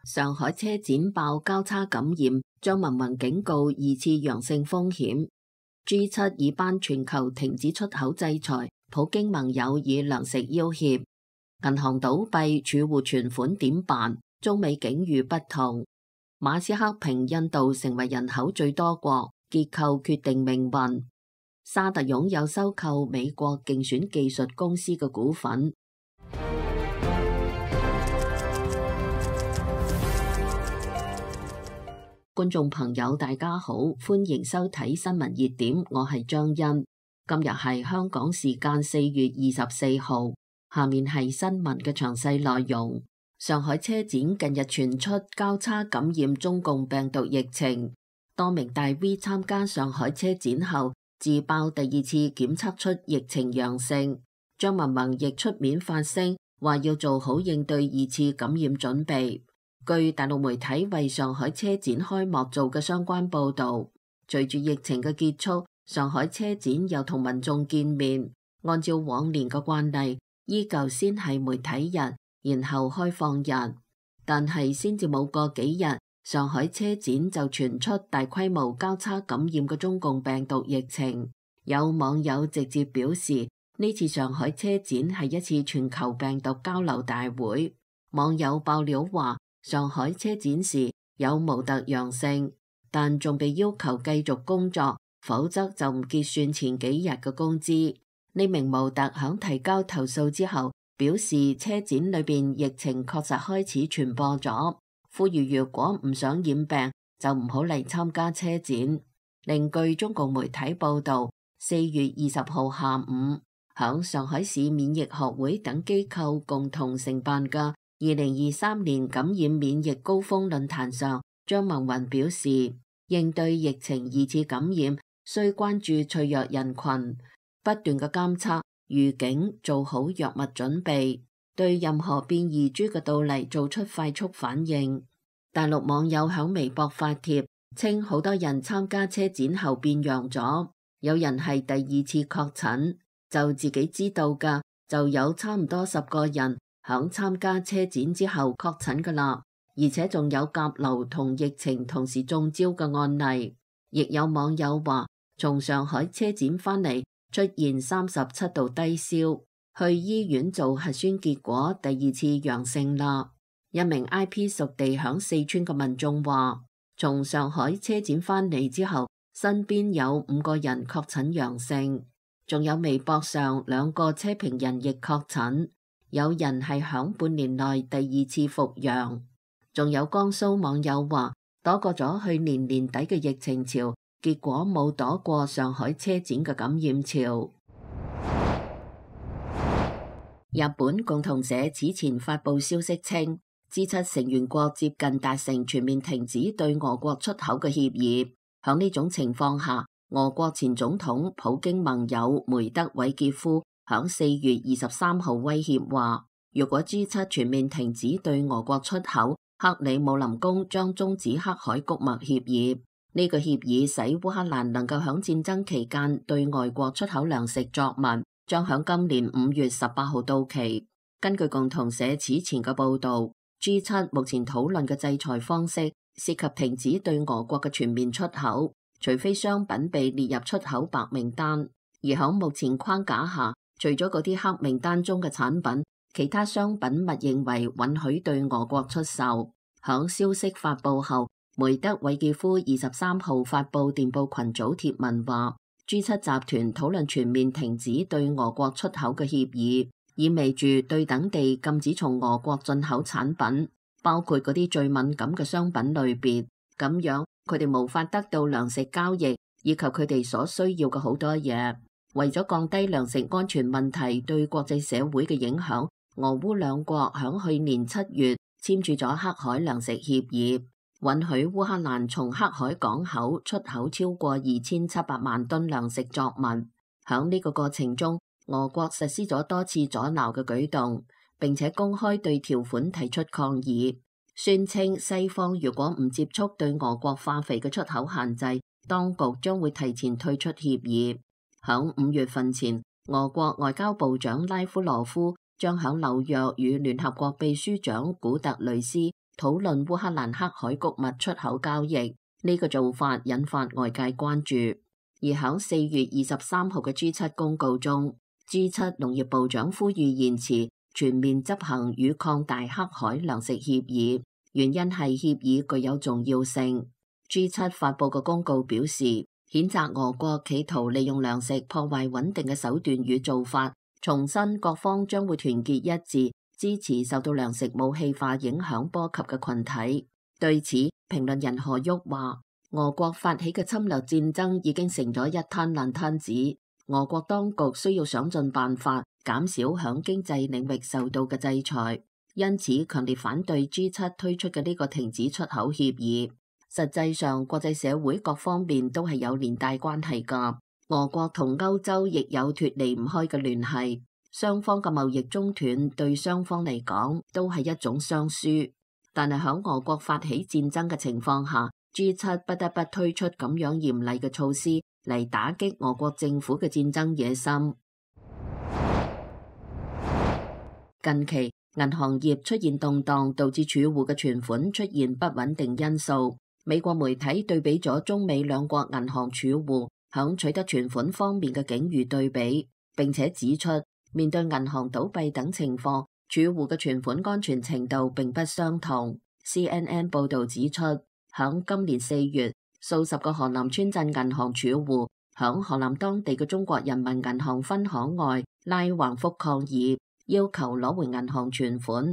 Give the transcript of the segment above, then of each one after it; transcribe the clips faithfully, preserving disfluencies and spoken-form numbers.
上海車展爆交叉感染，張文宏警告二次陽性風險。G 七以班全球停止出口制裁，普京盟友以糧食要挾。銀行倒閉，儲戶存款點辦？中美境遇不同。馬斯克評印度成為人口最多國，結構決定命運。沙特擁有收購美國競選技術公司嘅股份。觀眾朋友大家好，歡迎收睇新聞熱點，我係張欣。今日係香港時間四月二十四號，下面係新聞嘅詳細內容。上海車展近日傳出交叉感染中共病毒疫情，多名大 V 參加上海車展後自爆第二次檢測出疫情陽性，張文宏亦出面發聲，話要做好應對二次感染準備。據大陸媒體為上海車展開幕做嘅相關報導，隨住疫情嘅結束，上海車展又同民眾見面。按照往年嘅慣例，依舊先係媒體日，然後開放日。但係先至冇過幾日，上海車展就傳出大規模交叉感染嘅中共病毒疫情。有網友直接表示，呢次上海車展係一次全球病毒交流大會。網友爆料話，上海車展時有模特陽性，但仲被要求繼續工作，否則就唔結算前幾日嘅工資。呢名模特響提交投訴之後，表示車展裏邊疫情確實開始傳播咗，呼籲如果唔想染病就唔好嚟參加車展。另據中共媒體報道，四月二十號下午，響上海市免疫學會等機構共同承辦嘅二零二三年感染免疫高峰論壇上，張文宏表示，應對疫情二次感染，需關注脆弱人群，不斷嘅監測、預警，做好藥物準備，對任何變異株嘅到嚟做出快速反應。大陸網友響微博發帖，稱好多人參加車展後變陽咗，有人係第二次確診，就自己知道㗎，就有差唔多十個人響參加車展之後確診㗎啦，而且仲有甲流同疫情同時中招嘅案例。亦有網友話，從上海車展返嚟出現三十七度低燒，去醫院做核酸結果第二次陽性啦。一名 I P 屬地響四川嘅民眾話，從上海車展返嚟之後，身邊有五個人確診陽性，仲有微博上兩個車評人亦確診。有人係響半年內第二次復陽，仲有江蘇網友話躲過咗去年年底嘅疫情潮，結果冇躲過上海車展嘅感染潮。日本共同社此前發布消息稱，G 七成員國接近達成全面停止對俄國出口嘅協議。響呢種情況下，俄國前總統普京盟友梅德韋傑夫響四月二十三號威脅話，如果 G 七全面停止對俄國出口，克里姆林宮將終止黑海谷物協議。呢個協議使烏克蘭能夠響戰爭期間對外國出口糧食作物，將響今年五月十八號到期。根據共同社此前嘅報道， G 七目前討論嘅制裁方式涉及停止對俄國嘅全面出口，除非商品被列入出口白名單。而響目前框架下，除咗嗰啲黑名單中嘅產品，其他商品勿認為允許對俄國出售。響消息發布後，梅德韋傑夫二十三號發布電報群組貼文話， G 七集團討論全面停止對俄國出口嘅協議，意味住對等地禁止從俄國進口產品，包括嗰啲最敏感嘅商品類別。咁樣佢哋無法得到糧食交易以及佢哋所需要嘅好多嘢。為咗降低糧食安全問題對國際社會嘅影響，俄烏兩國響去年七月簽署咗黑海糧食協議，允許烏克蘭從黑海港口出口超過二千七百萬噸糧食作物。響呢個過程中，俄國實施咗多次阻撓嘅舉動，並且公開對條款提出抗議，宣稱西方如果唔接觸對俄國化肥嘅出口限制，當局將會提前退出協議。響五月份前，俄國外交部長拉夫羅夫將響紐約與聯合國秘書長古特雷斯討論烏克蘭黑海穀物出口交易。呢個做法引發外界關注。而喺四月二十三號嘅 G 七公告中， G 七農業部長呼籲延遲全面執行與擴大黑海糧食協議，原因係協議具有重要性。G 七發佈嘅公告表示，譴責俄國企圖利用糧食破壞穩定嘅手段與做法，重申各方將會團結一致，支持受到糧食武器化影響波及嘅群體。對此，評論人何旭話，俄國發起嘅侵略戰爭已經成咗一灘爛攤子，俄國當局需要想盡辦法減少響經濟領域受到嘅制裁，因此強烈反對 G 七推出嘅呢個停止出口協議。實際上，國際社會各方面都係有連帶關係㗎。俄國同歐洲亦有脫離唔開嘅聯繫，雙方嘅貿易中斷對雙方嚟講都係一種雙輸。但係喺俄國發起戰爭嘅情況下， G 七不得不推出咁樣嚴厲嘅措施嚟打擊俄國政府嘅戰爭野心。近期銀行業出現動盪，導致儲戶嘅存款出現不穩定因素。美國媒體對比咗中美兩國銀行儲戶響取得存款方面嘅境遇對比，並且指出面對銀行倒閉等情況，儲戶嘅存款安全程度並不相同。C N N 報導指出，響今年四月，數十個河南村鎮銀行儲戶響河南當地嘅中國人民銀行分行外拉橫幅抗議，要求攞回銀行存款。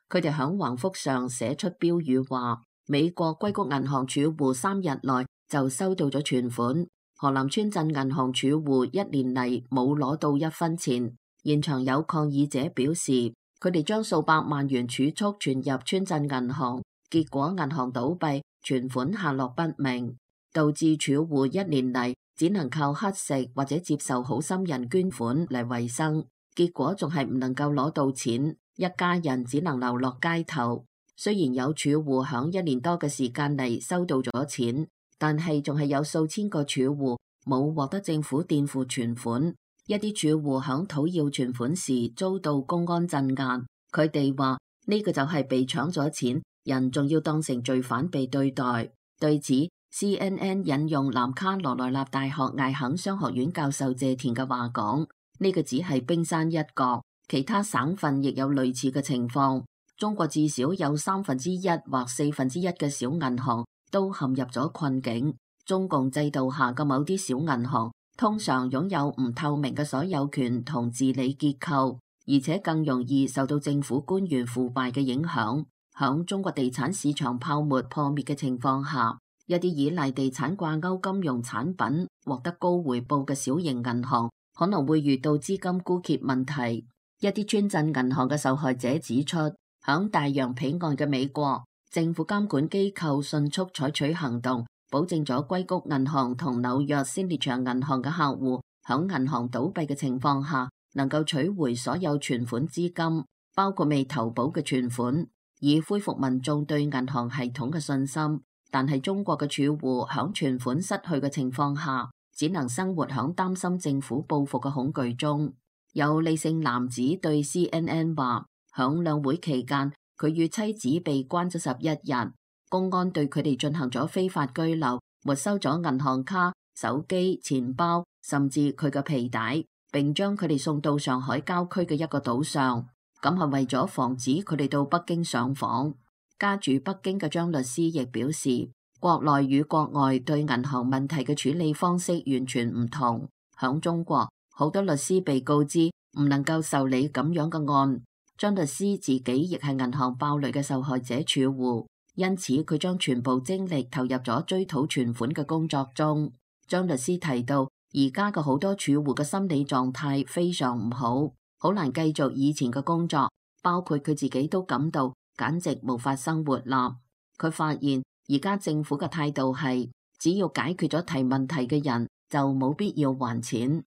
佢哋響橫幅上寫出標語話，美國硅谷銀行儲戶三日內就收到咗存款，河南村鎮銀行儲戶一年嚟冇攞到一分錢。現場有抗議者表示，佢哋將數百萬元儲蓄存入村鎮銀行，結果銀行倒閉，存款下落不明，導致儲戶一年嚟只能靠乞食或者接受好心人捐款嚟維生，結果仲係唔能夠攞到錢，一家人只能流落街頭。雖然有儲戶響一年多嘅時間嚟收到咗錢，但係仲係有數千個儲戶冇獲得政府墊付存款。一啲儲戶響討要存款時遭到公安鎮壓，佢哋話呢個就係被搶咗錢，人仲要當成罪犯被對待。對此 C N N 引用南卡羅來納大學艾肯商學院教授謝田嘅話講，呢個只係冰山一角，其他省份亦有類似嘅情況。中國至少有三分之一或四分之一嘅小銀行都陷入咗困境。中共制度下嘅某啲小銀行通常擁有唔透明嘅所有權同治理結構，而且更容易受到政府官員腐敗嘅影響。響中國地產市場泡沫破滅嘅情況下，一啲依賴地產掛鈎金融產品獲得高回報嘅小型銀行可能會遇到資金枯竭問題。一啲村鎮銀行嘅受害者指出，響大洋彼岸嘅美國，政府監管機構迅速採取行動，保證咗硅谷銀行同紐約先烈場銀行嘅客戶響銀行倒閉嘅情況下，能夠取回所有存款資金，包括未投保嘅存款，以恢復民眾對銀行系統嘅信心。但係中國嘅儲戶響存款失去嘅情況下，只能生活響擔心政府報復嘅恐懼中。有李姓男子對 C N N 話，響兩會期間，佢與妻子被關咗十一日，公安對佢哋進行咗非法拘留，沒收咗銀行卡、手機、錢包，甚至佢嘅皮帶，並將佢哋送到上海郊區嘅一個島上，咁係為咗防止佢哋到北京上訪。家住北京嘅張律師亦表示，國內與國外對銀行問題嘅處理方式完全唔同。響中國，好多律師被告知唔能夠受理咁樣嘅案。張律師自己亦係銀行爆雷嘅受害者儲戶，因此佢將全部精力投入咗追討存款嘅工作中。張律師提到，而家嘅好多儲戶嘅心理狀態非常唔好，好難繼續以前嘅工作，包括佢自己都感到簡直無法生活啦。佢發現而家政府嘅態度係，只要解決咗提問題嘅人，就冇必要還錢。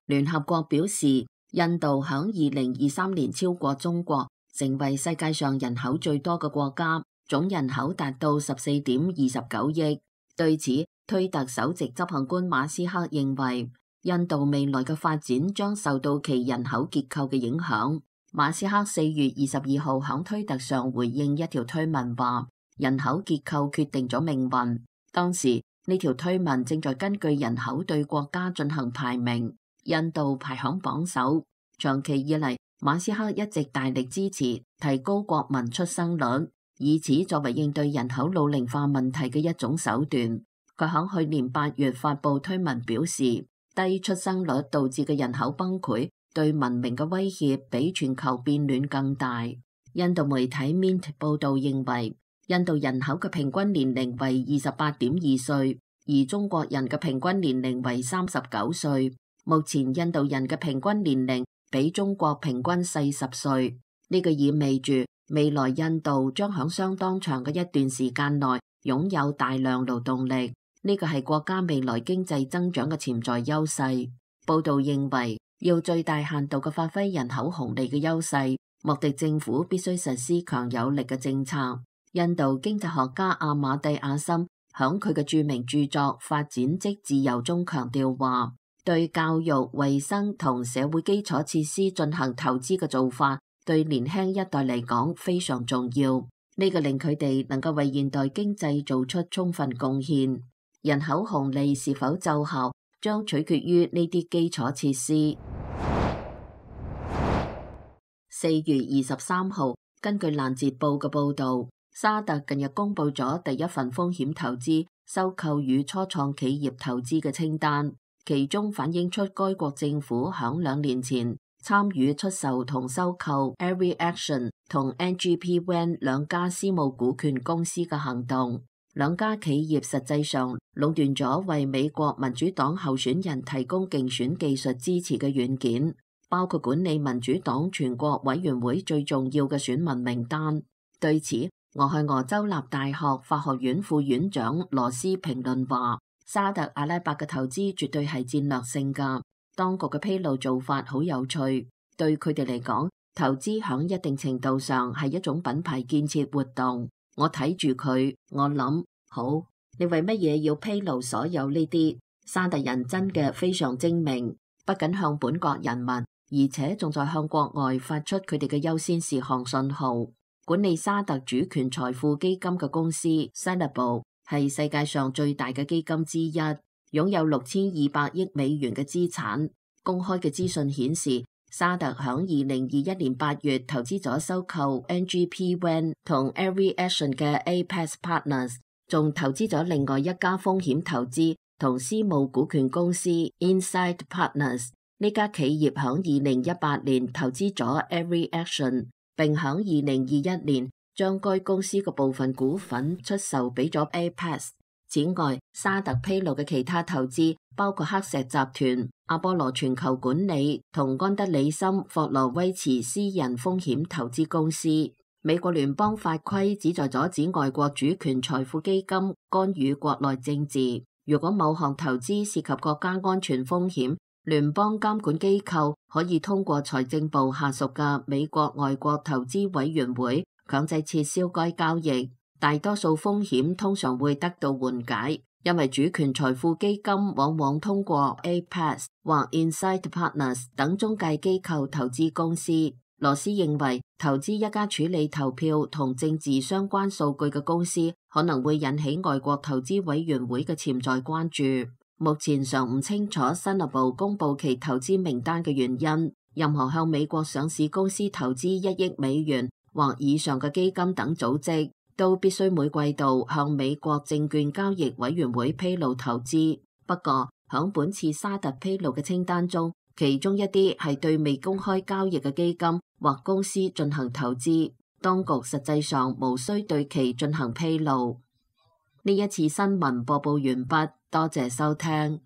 聯合國表示，印度響二零二三年超過中國，成為世界上人口最多嘅國家，總人口達到十四點二十九億。對此，推特首席執行官馬斯克認為，印度未來嘅發展將受到其人口結構嘅影響。馬斯克四月二十二號響推特上回應一條推文話，人口結構決定咗命運。當時呢條推文正在根據人口對國家進行排名，印度排響榜首。長期以嚟，馬斯克一直大力支持提高國民出生率，以此作為應對人口老齡化問題嘅一種手段。佢響去年八月發佈推文表示，低出生率導致嘅人口崩潰對文明嘅威脅比全球變暖更大。印度媒體 Mint 報道認為，印度人口嘅平均年齡為二十八點二歲，而中國人嘅平均年齡為三十九歲。目前印度人嘅平均年齡比中國平均四十歲，呢個意味住未來印度將響相當長嘅一段時間內擁有大量勞動力，呢個係國家未來經濟增長嘅潛在優勢。報道認為，要最大限度嘅發揮人口紅利嘅優勢，莫迪政府必須實施強有力嘅政策。印度經濟學家阿馬蒂亞森響佢嘅著名著作《發展即自由》中強調話，對教育、衛生同社會基礎設施進行投資嘅做法，對年輕一代嚟講非常重要。呢個令佢哋能夠為現代經濟做出充分貢獻。人口紅利是否奏效，將取決於呢啲基礎設施。四月二十三號，根據蘭捷報嘅報導，沙特近日公布咗第一份風險投資收購與初創企業投資嘅清單，其中反映出該國政府響兩年前參與出售同收購 AeriAction 同 N G P Wan 兩家私募股權公司嘅行動。兩家企業實際上壟斷咗為美國民主黨候選人提供競選技術支持嘅軟件，包括管理民主黨全國委員會最重要嘅選民名單。對此，俄亥俄州立大學法學院副院長羅斯評論話，沙特阿拉伯嘅投資絕對係戰略性㗎，當局嘅披露做法好有趣，對佢哋嚟講，投資響一定程度上係一種品牌建設活動。我睇住佢，我諗，好，你為乜嘢要披露所有呢啲？沙特人真嘅非常精明，不僅向本國人民，而且仲在向國外發出佢哋嘅優先事項信號。管理沙特主權財富基金嘅公司 Sanabo 係世界上最大嘅基金之一，擁有六千二百億美元嘅資產。公開嘅資訊顯示，沙特響二零二一年八月投資咗收購 N G P Wan 同 AeriAction 嘅 Apex Partners， 仲投資咗另外一家風險投資同私募股權公司 Insight Partners。呢家企業響二零一八年投資咗 AeriAction， 並響二零二一年將該公司嘅部分股份出售俾咗 Apex。此外，沙特披露嘅其他投資包括黑石集團、阿波羅全球管理同安德里森霍羅威茨私人風險投資公司。美國聯邦法規旨在阻止外國主權財富基金干預國內政治。如果某項投資涉及國家安全風險，聯邦監管機構可以通過財政部下屬嘅美國外國投資委員會強制撤銷該交易。大多數風險通常會得到緩解，因為主權財富基金往往通過 Apex 或 Insight Partners 等中介機構投資公司。羅斯認為，投資一家處理投票同政治相關數據嘅公司可能會引起外國投資委員會嘅潛在關注。目前尚唔清楚新加坡公布其投資名單嘅原因。任何向美國上市公司投資一億美元或以上嘅基金等組織，都必須每季度向美國證券交易委員會披露投資。不過，響本次沙特披露嘅清單中，其中一啲係對未公開交易嘅基金或公司進行投資，當局實際上無需對其進行披露。呢一次新聞播報完畢，多謝收聽。